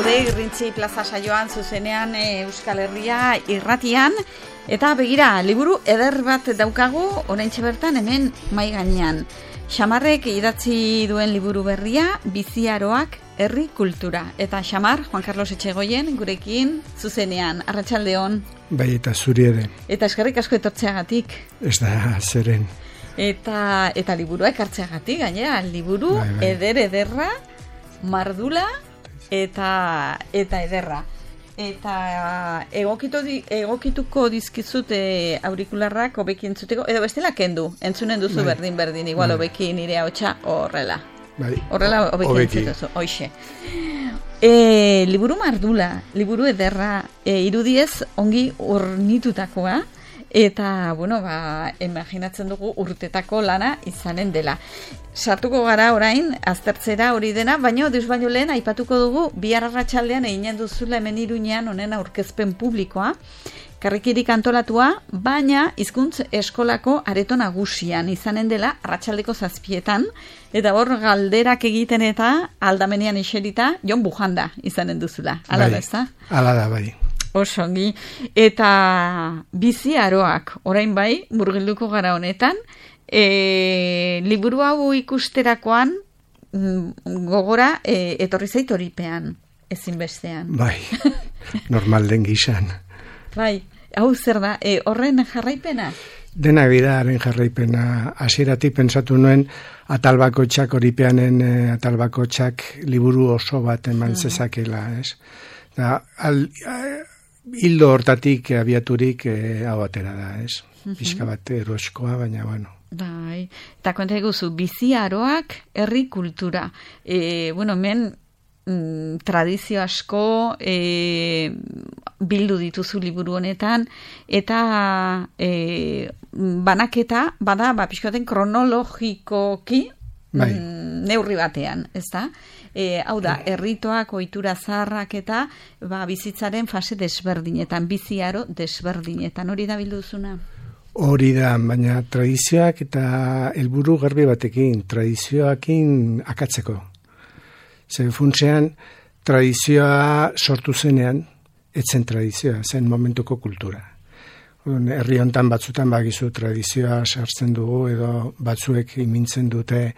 gaude Irrintzi plaza saioan zuzenean Euskal Herria irratian, eta begira, liburu eder bat daukagu oraintxe bertan hemen mahai gainean. Xamarrek idatzi duen liburu berria, Biziaroak herri kultura. Eta Xamar, Juan Carlos Etxegoien, gurekin zuzenean. Arratsaldeon. Bai, eta zuri ere. Eta eskerrik asko etortzeagatik. Ez da, zeren. Eta liburua ekartzeagatik, gainera, liburu bai. Ederra, mardula eta ederra. Eta egokituko dizkizut aurikularrak hobeki entzuteko, edo bestela kendu, entzunen duzu bai. berdin, igual hobeki nire ahotsa horrela. Bai. Horrela hobeki entzutuzu, hoixe. Liburu mardula, liburu ederra, irudiez ongi ornitutakoa, eta, imaginatzen dugu urtetako lana izanen dela. Sartuko gara orain, aztertzera hori dena, baino lehen aipatuko dugu, bihar arratsaldean eginen duzula hemen Iruñean honen aurkezpen publikoa, karrikirik antolatua, baina hizkuntz eskolako areto nagusian izanen dela arratsaldeko 7:00, eta hor galderak egiten eta aldamenean iserita Jon Bujanda izanen duzula. Hala da, ezta? Hala da, bai. Osongi, eta Biziaroak, orain bai, murgilduko gara honetan, liburu hau ikusterakoan gogora etorri zait horipean, ezinbestean. Bai, normal den gizan. Bai, hau zer da, horren jarraipena? Dena bidaren jarraipena, hasieratik pensatu nuen atalbakotxak horipeanen atalbakotxak liburu oso bat eman zezakela, ez? Da, hildo hortatik abiaturik hau atera da, ez? Pixka bat eroskoa, baina, bueno. Bai, eta konta eguzu, Biziaroak herri kultura. Hemen tradizio asko bildu dituzu liburu honetan, eta banaketa, bada, pixkoaten kronologikoki neurri batean, ez da? Hau da, erritoak, ohitura zaharrak eta bizitzaren fase desberdinetan, biziaro desberdinetan, hori da bilduzuna? Hori da, baina tradizioak eta helburu garbi batekin, tradizioakin akatzeko. Zer funtsean, tradizioa sortu zenean, etzen tradizioa, zen momentuko kultura. Herri hontan batzutan bagizu tradizioa sartzen dugu, edo batzuek imintzen dute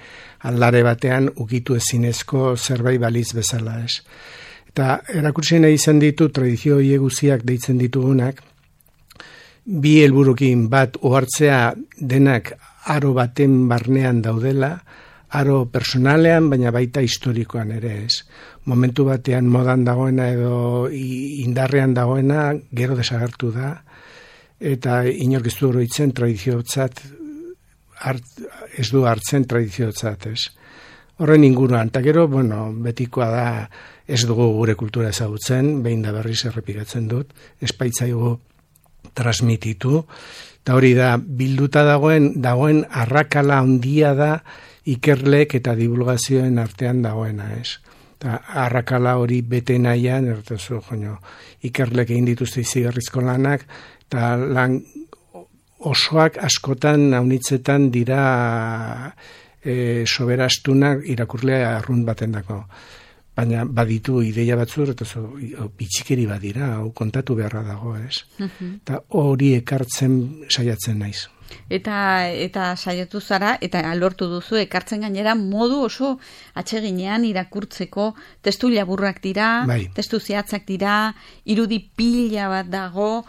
aldare batean ukitu ezinezko zerbait baliz bezala, ez. Eta erakutsi nahi izan ditu tradizio hieguziak deitzen ditugunak, bi helburukin bat ohartzea denak aro baten barnean daudela, aro personalean, baina baita historikoan ere, ez. Momentu batean modan dagoena edo indarrean dagoena gero desagertu da, eta inork ez du oroitzen tradiziotzat, ez du hartzen tradiziotzat, ez. Horren inguruan, eta gero, betikoa da ez dugu gure kultura ezagutzen, behin da berriz errepikatzen dut, espaitzaigu transmititu, eta hori da, bilduta dagoen arrakala handia da ikerlek eta divulgazioen artean dagoena, ez. Eta arrakala hori bete nahian, ikerlek egin dituzte izigarrizko lanak, eta lan osoak askotan haunitzetan dira soberastunak irakurlea arrunt baten dako. Baina baditu ideia batzur, eta bitxikeri badira, hau kontatu beharra dago, ez? Eta hori ekartzen saiatzen naiz. Eta saiatu zara, eta lortu duzu, ekartzen gainera modu oso atseginean irakurtzeko, testu laburrak dira, testu zehatzak dira, irudi pila bat dago,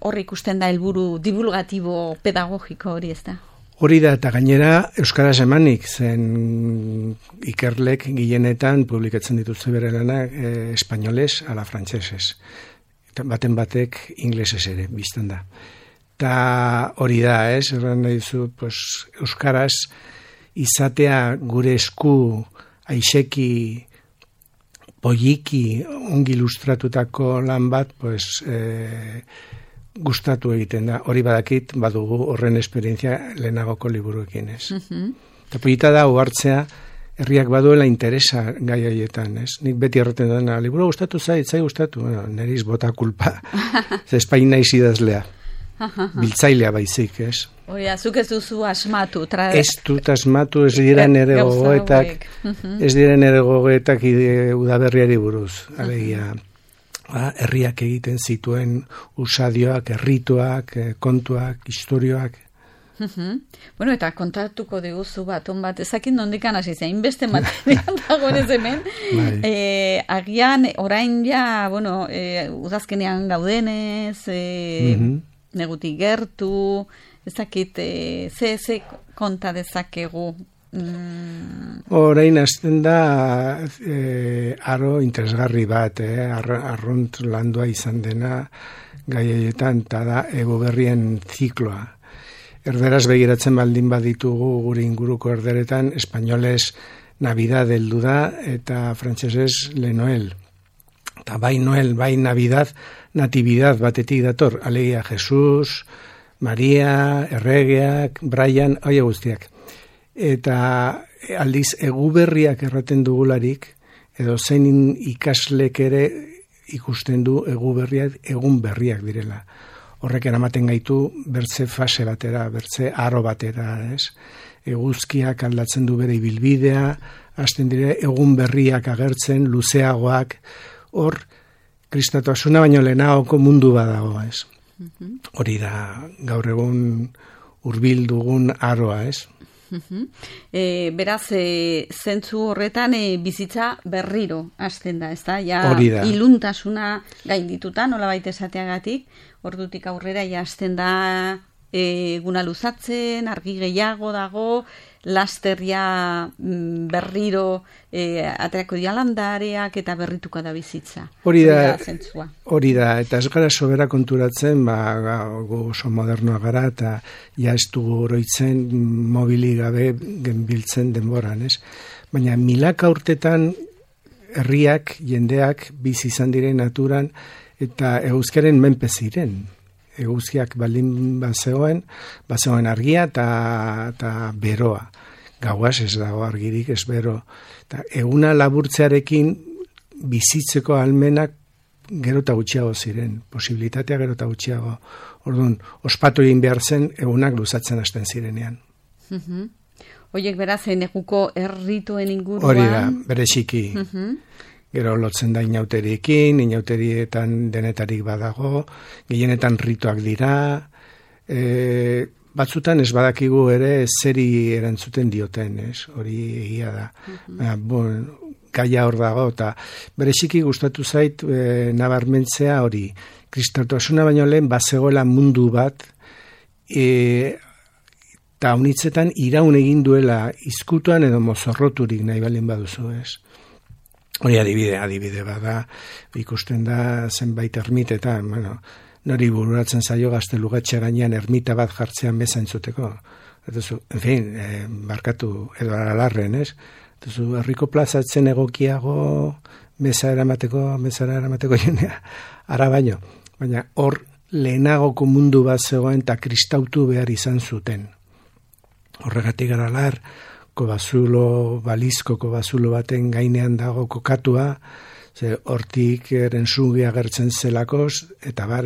hor ikusten da helburu divulgatibo pedagogiko hori, ez da? Hori da, eta gainera euskaraz emanik, zen ikerlek gehienetan publikatzen dituzte bere lanak espainoles ala frantsesez. Baten batek inglesez ere, biztan da. Eta hori da, erran nahi zu, euskaraz izatea gure esku aixeki, poliki, ongi ilustratutako lan bat, gustatu egiten da. Hori badakit, badugu horren esperientzia lehenagoko liburuekin, ez. Eta polita da, uhartzea, herriak baduela interesa gai haietan, ez. Nik beti erraten dena, liburu gustatu zai gustatu, neriz bota kulpa, ez Espain naiz idazlea. Biltzailea baizik, ez. Oia, zuk ez duzu asmatu. Ez dut asmatu, ez dira nere gogoetak, ez dira nere gogoetak udaberriari buruz. Alegia, herriak egiten zituen usadioak, errituak, kontuak, historioak. Bueno, eta kontatuko diguzu baton bat, ezakin nondikan hasi zein, beste material dagoenez hemen. Agian, orain ja, bueno, udazkenean gaudenez, negutik gertu, ezakit, ze konta dezakegu. Orain hasten da aro interesgarri bat, arrunt landua izan dena gaietan, eta da egoberrien zikloa. Erderaz begiratzen baldin baditugu gure inguruko erderetan, espainoles Navidad heldu da eta frantsesez Le Noel. Eta bai Noel, bai Navidad, Natividad batetik dator, alegia Jesus, Maria, Erregeak, Brian, hori guztiak. Eta aldiz eguberriak erraten dugularik, edo zein ikaslek ere ikusten du eguberriak egun berriak direla. Horrek eramaten gaitu bertze fase batera, bertze aro batera, ez? Eguzkiak aldatzen du bere ibilbidea, hasten dire egun berriak agertzen, luzeagoak, hor kristatasuna baino lehenagoko mundu badago, ez? Hori da gaur egun hurbil dugun aroa, ez? Beraz, zentzu horretan bizitza berriro hasten da, ez da? Ja, iluntasuna gaindituta, nolabait esateagatik, ordutik aurrera ja hasten da eguna luzatzen, argi gehiago dago, lasterria berriro aterako dialandareak eta berrituko da bizitza. Hori da, eta ez gara sobera konturatzen, gu oso modernoa gara, eta ja ez dugu oroitzen mobili gabe genbiltzen denboran, ez? Baina milaka urtetan herriak, jendeak, bizi izan diren naturan, eta eguzkiaren menpe ziren. Eguzkiak baldin bazegoen argia eta beroa. Gauaz ez dago argirik, ez bero. Eta eguna laburtzearekin bizitzeko almenak gero eta gutxiago ziren. Posibilitatea gero eta gutxiago. Orduan, ospatu egin behar zen egunak luzatzen hasten zirenean. Oiek beraz, neguko errituen inguruan. Hori da, bereziki. Gero lotzen da inauterietan denetarik badago, gehienetan rituak dira, batzutan ez badakigu ere zeri erantzuten dioten, ez? Hori egia da. Gaia hor dago, eta bereziki gustatu zait nabarmentzea hori, kristautasuna baino lehen bazegoela mundu bat, eta honitzetan iraun egin duela izkutuan edo mozorroturik nahi baldin baduzu, ez? Hori adibide bada, ikusten da zenbait ermitetan, nori bururatzen zaio Gaztelugatxe gainean ermita bat jartzean meza entzuteko. En fin, barkatu edo alarren, ez? Herriko plazatzen egokiago mezara eramateko jendea, ara baino. Baina hor lehenagoko mundu bat zegoen eta kristautu behar izan zuten. Horregatik Aralar, balizko kobazulo baten gainean dago kokatua, ze hortik erensugi agertzen zelakoz, eta bar.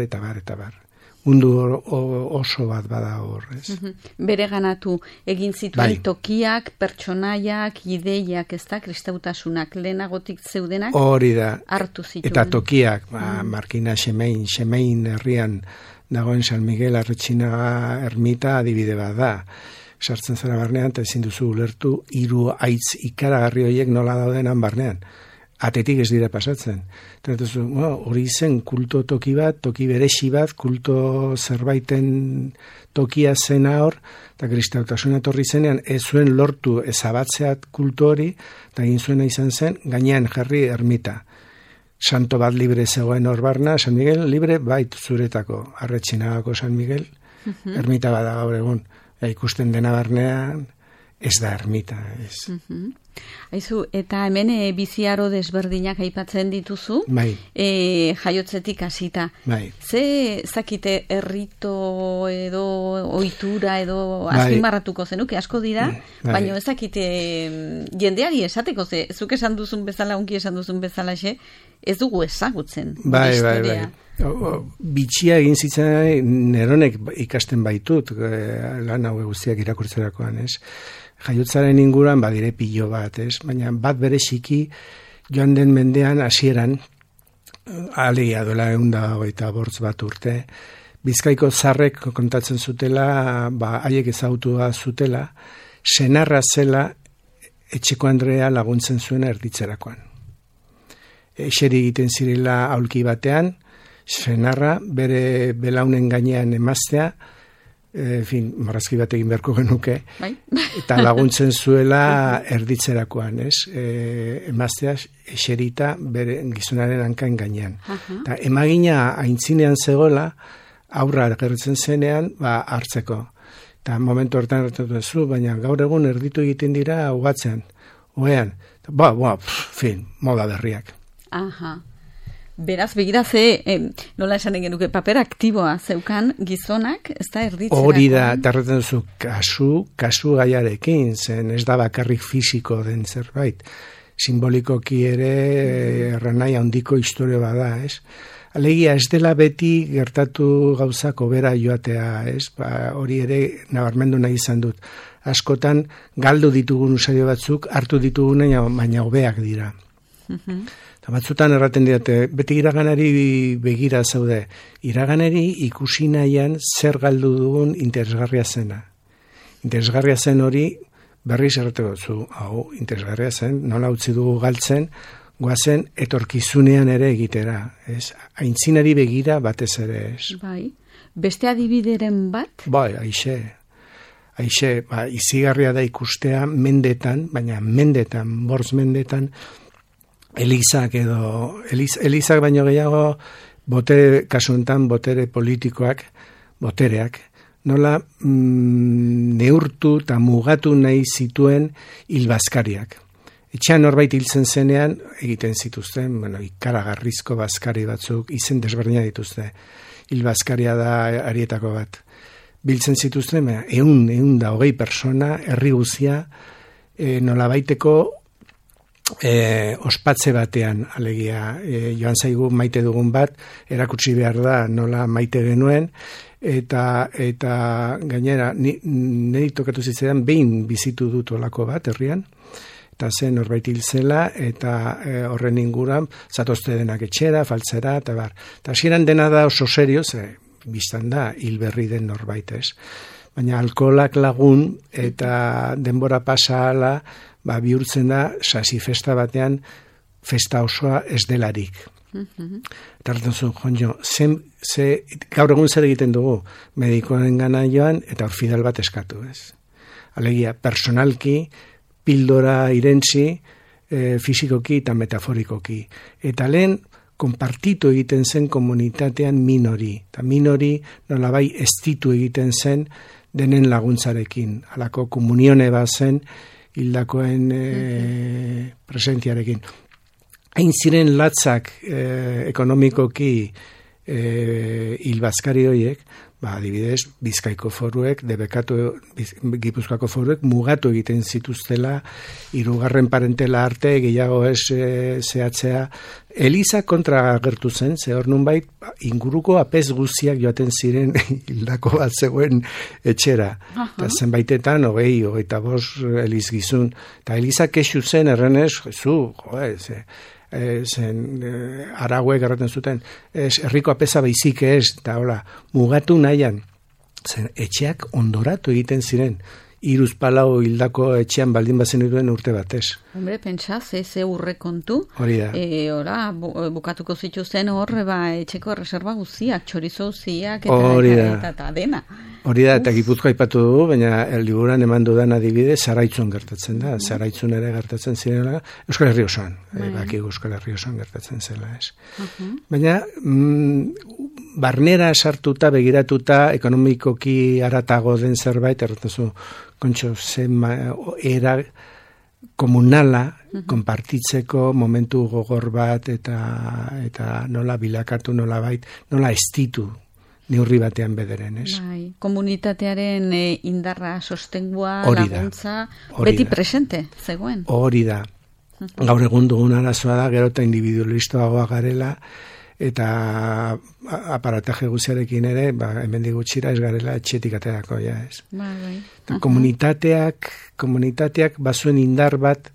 Mundu oso bat bada horrez. Bere ganatu, egin zituen tokiak, pertsonaiak, ideiak, ez da, kristautasunak, lehenagotik zeudenak, hori da, hartu zituen. Eta tokiak, Markina Xemein herrian dagoen San Miguel Arretxinaga ermita adibide bat da. Sartzen zara barnean, eta ezin duzu ulertu, 3 haitz ikaragarri horiek nola daudenan barnean. Atetik ez dira pasatzen. Hori zen kulto toki bat, toki beresi bat, kulto zerbaiten tokia zena hor, eta kristautasuna etorri zenean, ez zuen lortu ezabatzeat kulto hori, eta egin zuena izan zen, gainean jarri ermita. Santo bat libre zegoen hor barna, San Miguel libre, bait zuretako, Arretxinagako San Miguel, ermita bada gaur egun. Ikusten dena barnean, ez da ermita, ez. Aizu, eta hemen biziaro desberdinak aipatzen dituzu, jaiotzetik hasita. Ze zakite errito edo ohitura edo azpimarratuko zenuke asko dira, baina ez zakite jendeari esateko, zuk esan duzun bezala, unki esan duzun bezala, ez dugu ezagutzen. Bai. Bitxia egin zitzen neronek ikasten baitut, lan hau guztiak irakurtzerakoan, ez? Jaiotzaren inguruan badire pilo bat, ez? Baina bat bereziki joan den mendean hasieran, alegia duela 125 bat urte, Bizkaiko zarrek kontatzen zutela, haiek ezagutua zutela, senarra zela etxeko Andrea laguntzen zuen erditzerakoan. Eseri egiten zirela aulki batean, senarra bere belaunen gainean emaztea, marrazki bat egin beharko genuke, eta laguntzen zuela erditzerakoan, ez? Emaztea eserita bere gizonaren hankain gainean. Eta emagina aintzinean zegoela, aurra gertzen zenean, hartzeko. Eta momentu hortan hartatu duzu, baina gaur egun erditu egiten dira ugatzean, oean. Moda berriak. Beraz, begira nola esan egin duke, paper aktiboa zeukan gizonak, ez da erditzera. Hori da, tarretan duzu, kasu gaiarekin, zen ez da bakarrik fisiko den zerbait. Simbolikoki ere erranai handiko historio bada, ez? Alegia, ez dela beti gertatu gauzako bera joatea, ez? Hori ere nabarmendu nahi izan dut. Askotan, galdu ditugun usario batzuk, hartu ditugun baina hobeak dira. Eta batzutan erraten didate, beti iraganari begira zaude. Iraganari ikusi nahian zer galdu dugun interesgarria zena. Interesgarria zen hori berriz errateko zu, interesgarria zen, nola utzi dugu galtzen, goazen etorkizunean ere egitera, ez? Aintzinari begira batez ere, ez? Bai, beste adibideren bat? Bai, aixe, izigarria da ikustea mendetan, baina bortz mendetan, Elizak baino gehiago, kasu honetan botere politikoak, botereak, nola neurtu eta mugatu nahi zituen hilbazkariak. Etxean norbait hiltzen zenean, egiten zituzten, ikaragarrizko bazkari batzuk, izen desberdina dituzte. Hilbazkaria da arietako bat. Biltzen zituzten, 120 persona, herri guzia, nolabaiteko ospatze batean, alegia, joan zaigu maite dugun bat, erakutsi behar da nola maite genuen, eta gainera, niri tokatu zitzaidan, behin bizitu dut olako bat, herrian, eta zen norbait hil zela, eta horren inguruan, zatozte denak etxera, faltzera, eta bar. Eta hasieran dena da oso serio, biztan da, hil berri den norbait, ez. Baina alkoholak lagun, eta denbora pasa ala, bihurtzen da, sasi festa batean, festa osoa ez delarik. Eta hartan zuen, jonjo, gaur egun zer egiten dugu, medikoen gana joan, eta orfidal bat eskatu, ez. Alegia, personalki, pildora irentzi, fisikoki eta metaforikoki. Eta lehen, konpartitu egiten zen komunitatean minori. Eta minori nolabai estitu egiten zen denen laguntzarekin. Halako komunione bat zen hildakoen presentziarekin. Hain ziren latzak ekonomikoki hilbazkari horiek, adibidez, Bizkaiko foruek, Gipuzkoako foruek mugatu egiten zituztela, 3. parentela arte, gehiago ez zehatzea. Eliza kontra agertu zen, ze hor nunbait inguruko apez guztiak joaten ziren hildako bat zegoen etxera. Eta zenbaitetan, 25 eliz gizun. Eta Eliza kexu zen, errenez, arauek erraten zuten, herriko apeza baizik ez, eta hola, mugatu nahian, etxeak ondoratu egiten ziren, 3-4 hildako etxean baldin bazen duen urte batez. Hombre, pentsa, ze urre kontu, hori da. Bukatuko zituzten etxeko reserva guztiak, txorizo guztiak, eta dena. Hori da, eta Gipuzkoa aipatu dugu, baina liburuan eman dudan adibide, Zaraitzun gertatzen da. Zaraitzun ere gertatzen zirela, Euskal Herri osoan. Euskal Herri osoan gertatzen zela, ez. Baina, barnera sartuta, begiratuta, ekonomikoki aratago den zerbait, erratazu, kontxo, era komunala, konpartitzeko momentu gogor bat, eta nola bilakatu, nola estitu, neurri batean bederen, ez? Komunitatearen indarra, sostengua, laguntza, beti presente, zegoen? Hori da. Gaur egun dugun arazoa da, gero eta individualistoagoa garela, eta aparataje guziarekin ere, hemendik gutxira ez garela etxetik aterako, ja ez. Bai. Komunitateak bazuen indar bat,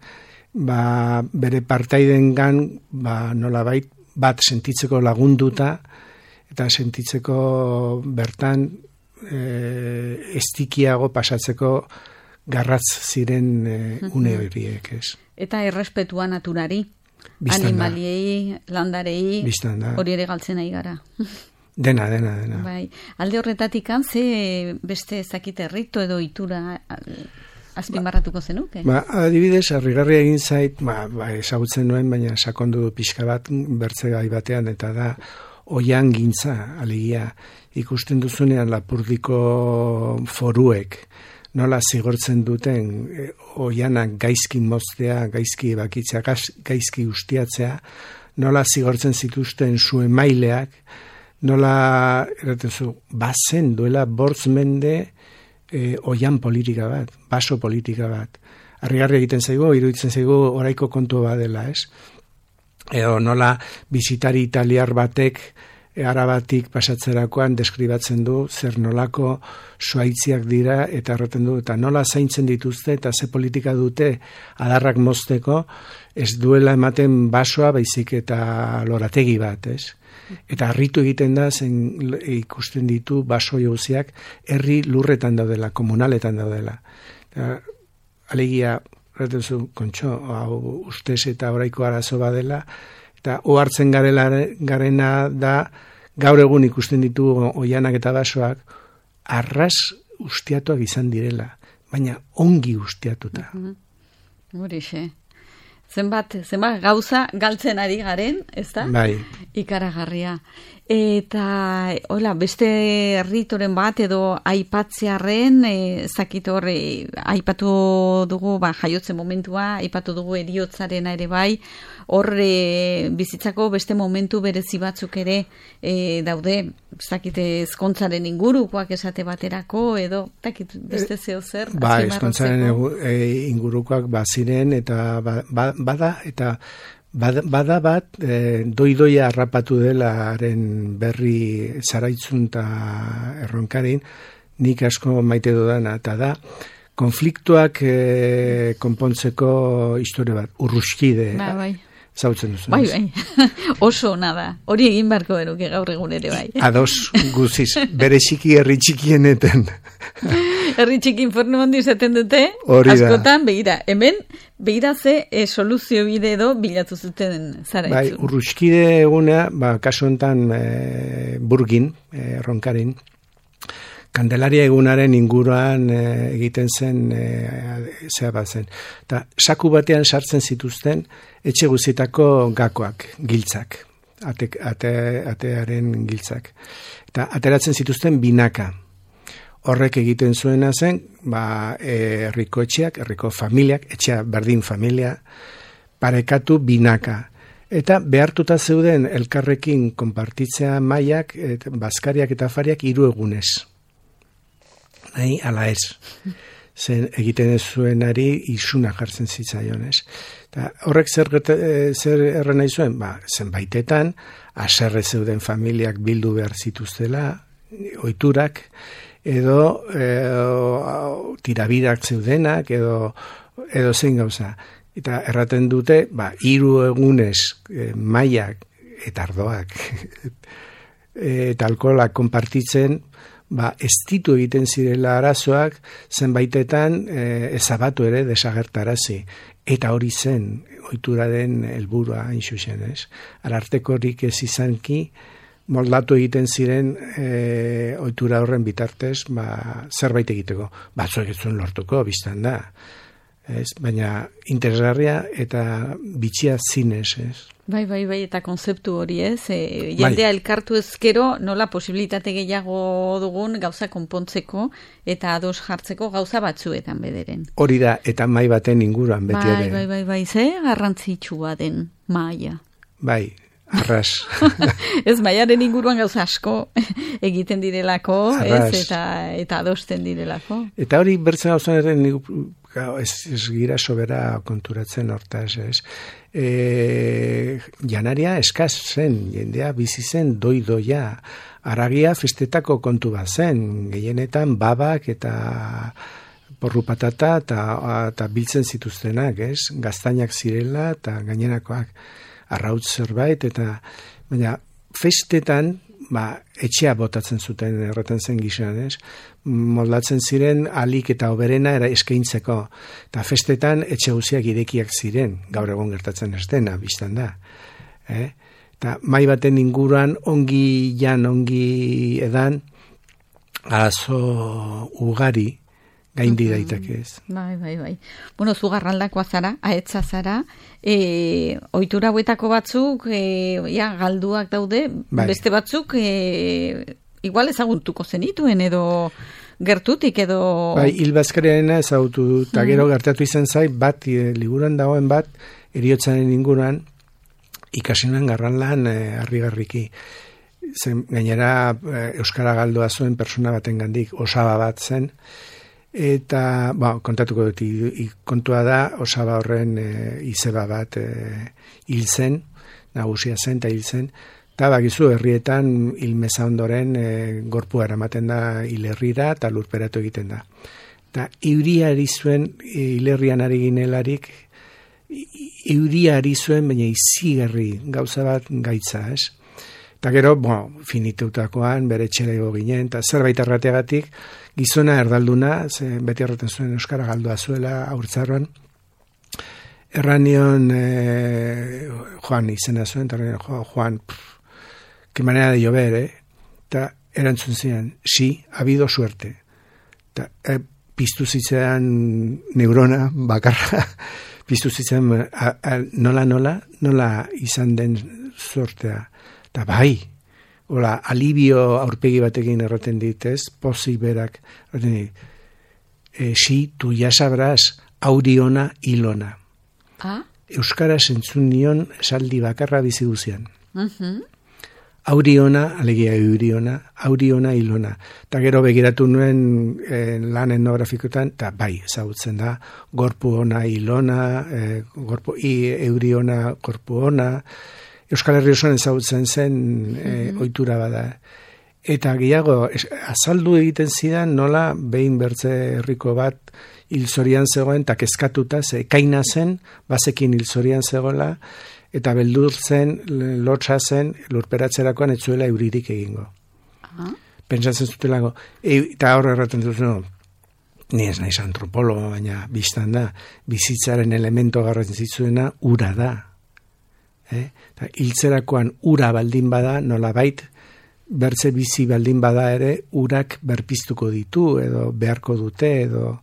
bere partaidengan, nolabait, bat sentitzeko lagunduta, eta sentitzeko bertan estikiago pasatzeko garratz ziren une horiek, ez. Eta errespetua naturari. Animaliei, landarei, hori ere galtzen ari gara. Dena. Bai. Alde horretatik ze beste ezakite rito edo itura azpimarratuko zenuke? Adibidez, harrigarria egin zait, ezagutzen nuen, baina sakondu pixka bat bertzegai batean, eta da oian gintza, alegia, ikusten duzunean Lapurdiko foruek, nola zigortzen duten oianak gaizki moztea, gaizki bakitzea, gaizki ustiatzea, nola zigortzen zituzten zu emaileak, nola, bazen duela 5 mende oian politika bat, baso politika bat. Harrigarri egiten zaigu, iruditzen zaigu oraiko kontu badela, ez? Edo nola bizitari italiar batek Arabatik pasatzerakoan deskribatzen du zer nolako zuaitziak dira eta erraten du, eta nola zaintzen dituzte eta ze politika dute adarrak mozteko, ez duela ematen basoa baizik eta lorategi bat, ez? Eta harritu egiten da, zen ikusten ditu baso jauziak herri lurretan daudela, komunaletan daudela. Alegia, erraten zu, kontxo, ustez eta oraiko arazo badela, eta ohartzen garena da, gaur egun ikusten ditu oianak eta basoak, arras ustiatuak izan direla, baina ongi ustiatuta. Horixe. Zenbat gauza galtzen ari garen, ez da? Bai. Ikaragarria. Eta, beste ritoren bat edo aipatzearren, zakit horre, aipatu dugu, jaiotze momentua, aipatu dugu heriotzarena ere bai, horre bizitzako beste momentu berezi batzuk ere daude, zakite ezkontzaren ingurukoak esate baterako, edo, takit beste zeo zer? Ezkontzaren ingurukoak baziren, eta bada bat, doi-doia harrapatu delaren berri zaraitzun eta erronkarin, nik asko maite dudana, eta da, konfliktuak konpontzeko historia bat, urruskide, zautzen duzu. Bai, oso nada, hori egin barko beruke gaur egun ere bai. Ados guziz, bere txiki herri txikieneten. Herri txiki infernu handi izaten dute, askotan, hemen, begira ze soluzio bide edo bilatu zuten zara Bai, urruskide eguna, kasu honetan Burgin, Ronkarin, Kandelaria egunaren inguruan egiten zen, zea bat zen. Eta saku batean sartzen zituzten etxe guztietako gakoak, giltzak, atearen giltzak. Eta ateratzen zituzten binaka. Horrek egiten zuena zen, herriko etxeak, herriko familiak, etxea berdin familia, parekatu binaka. Eta behartuta zeuden elkarrekin konpartitzea mailak, bazkariak eta afariak 3 egunez. Nahi, ala ez. Zen egiten ez zuenari isuna jartzen zitzaion, ez. Eta horrek zer erren nahi zuen? Zenbaitetan, haserre zeuden familiak bildu behar zituztela, ohiturak, edo tirabirak zeudenak, edo zein gauza. Eta erraten dute, 3 egunez mailak eta ardoak eta alkoholak konpartitzen, ez ditu egiten zirela arazoak, zenbaitetan ezabatu ere desagertarazi. Eta hori zen, ohituraren helburua hain zuzen, ez? Arartekorik ez izanki, moldatu egiten ziren ohitura horren bitartez, zerbait egiteko. Batzuek ez zuen lortuko, biztan da. Baina interesgarria eta bitxia zinez, ez? Bai, eta konzeptu hori, ez? Jendea elkartu ezkero, nola posibilitate gehiago dugun gauza konpontzeko eta ados jartzeko gauza batzuetan bederen. Hori da, eta mai baten inguruan beti ere. Bai, ze garrantzitsua den maia. Bai, Arras. Ez, Maiaren inguruan gauza asko egiten direlako, ez, eta adosten direlako. Eta hori bertzen gauzan ere ez gira sobera konturatzen hortaz, ez. Janaria eskaz zen, jendea bizi zen doidoia. Aragia festetako kontu bat zen, gehienetan babak eta porru patata eta biltzen zituztenak, ez? Gaztainak zirela eta gainerakoak arrautz zerbait, eta baina festetan etxea botatzen zuten erraten zen gizan, ez? Moldatzen ziren alik eta oberena eskaintzeko, eta festetan etxe guziak irekiak ziren, gaur egon gertatzen ez dena, biztan da. Eta mai baten inguruan ongi edan arazo ugari gaindi daitakez. Bai. Bueno, zu Garraldakoa zara, ahetza zara, ohitura hauetako batzuk galduak daude, beste batzuk igual ezagutuko zenituen edo gertutik edo... Bai, Hilbazkareena ezagutu, eta gero gertatu izan zait, bat, liburuan dagoen bat, heriotzaren inguruan, ikasinan Garralan harrigarriki. Gainera euskara galdoa zuen persona baten gandik, osaba bat zen, eta, kontatuko dut, kontua da, osaba horren izeba bat hil zen, nagusia zen eta hil zen, eta bakizu herrietan hilmeza ondoren gorpua eramaten da hilerrira eta lurperatu egiten da. Eta euria ari zuen, hilerrian ari ginelarik, euria ari zuen, baina izigarri gauza bat gaitza, ez? Eta gero, finiteutakoan, bere txelego ginen, eta zerbait errateagatik, gizona erdalduna, beti erraten zuen euskara galdua zuela aurtzarroan, erranion Juan izena zuen, eta Juan, que manera de llover, eta erantzun ziren, sí, ha habido suerte. Eta piztu zitzean neurona bakarra, piztu zitzean nola izan den sortea. Eta bai, alibio aurpegi batekin erraten ditez, pozik berak, erraten dit, si, tu ya sabrás, auriona ilona. Euskaraz entzun nion esaldi bakarra bizi guzian. Auriona, alegia euriona, auriona ilona. Eta gero begiratu nuen lan etnografikotan, eta bai, ezagutzen da, gorpu ona ilona, euriona, gorpu ona, Euskal Herri osoan ezagutzen zen ohitura bada. Eta gehiago, azaldu egiten zidan nola behin bertze herriko bat hilzorian zegoen, eta kezkatuta, ekaina zen, bazekin hilzorian zegoela, eta beldur zen, lotsa zen, lurperatzerakoan ez zuela euririk egingo. Pentsatzen zutelako, eta hor erraten dut, ni ez naiz antropologo, baina biztan da, bizitzaren elemento garrantzitsuena ura da. Hiltzerakoan ura baldin bada, nolabait, bertze bizi baldin bada ere, urak berpiztuko ditu, edo beharko dute, edo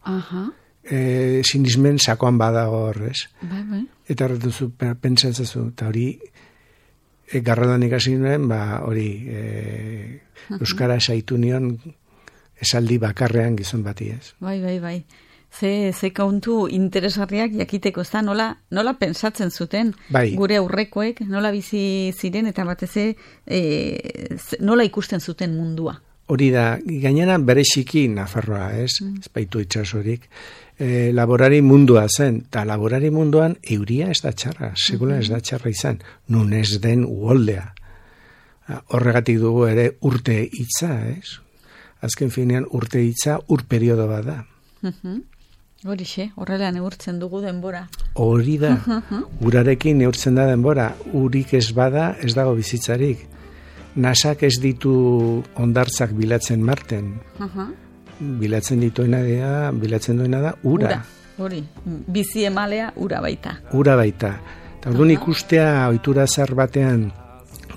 sinismen sakoan bada horrez. Eta erretuzu, pentsatzazu, eta hori, Garralan ikasi nuen, hori, euskara saitu nion, esaldi bakarrean gizon bati ez. Bai. Ze kontu interesgarriak jakiteko ez da, nola pensatzen zuten gure aurrekoek, nola bizi ziren eta batez nola ikusten zuten mundua. Hori da, gainera bereziki Nafarroa, ez baitu itxasorik, laborari mundua zen, eta laborari munduan euria ez da txarra, segula ez da txarra izan, nun ez den uholdea. Horregatik dugu ere urte hitza, ez? Azken finean urte hitza periodo bat da. Horixe, horrela neurtzen dugu denbora. Hori da, urarekin neurtzen da denbora, urik ez bada ez dago bizitzarik. Nasak ez ditu hondartzak bilatzen Marten. Bilatzen duena da ura. Hori, bizi emalea ura baita. Ura baita. Eta orduan ikustea ohitura zar batean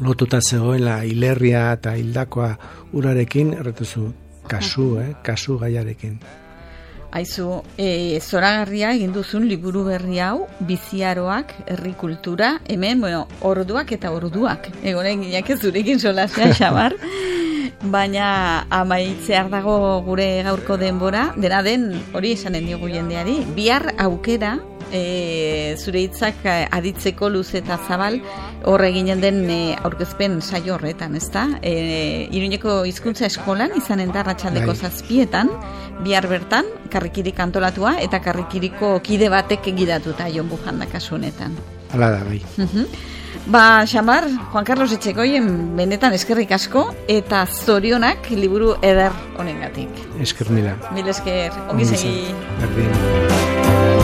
lotuta zegoela hilerria eta hildakoa urarekin, erretuzu, kasu gaiarekin. Aizu, zoragarria egin duzun liburu berri hau, biziaroak, herri kultura, hemen, orduak eta orduak. Egonen gineak ez zurekin solasea, Xabar. Baina amaitzear dago gure gaurko denbora, dena den hori esanen diogu jendeari, bihar aukera, zure hitzak aditzeko luz eta zabal, hor eginen den aurkezpen saio horretan, ezta? Iruñeko hizkuntza eskolan izanen da arratsaldeko 7etan, bihar bertan karrikirik antolatua eta karrikiriko kide batek gidatuta Jon Bujanda kasu honetan. Hala da, bai. Xamar, Juan Carlos Etxegoien benetan eskerrik asko eta zorionak liburu eder honengatik. Esker mila. Mil esker, ongi segi. Berdin.